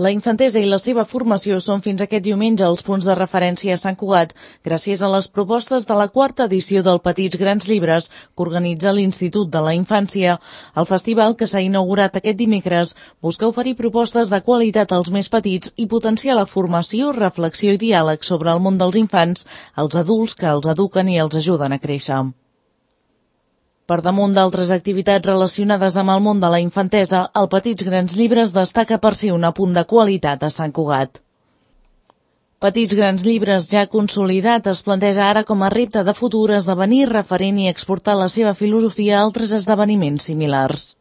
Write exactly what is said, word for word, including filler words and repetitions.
La infantesa i la seva formació són fins aquest diumenge els punts de referència a Sant Cugat, gràcies a les propostes de la quarta edició del Petits Grans Llibres que organitza l'Institut de la Infància. El festival, que s'ha inaugurat aquest dimecres, busca oferir propostes de qualitat als més petits i potenciar la formació, reflexió i diàleg sobre el món dels infants, els adults que els eduquen i els ajuden a créixer. Per damunt d'altres activitats relacionades amb el món de la infantesa, el Petits Grans Llibres destaca per ser un apunt de qualitat a Sant Cugat. Petits Grans Llibres, ja consolidat, es planteja ara com a repte de futur esdevenir referent i exportar la seva filosofia a altres esdeveniments similars.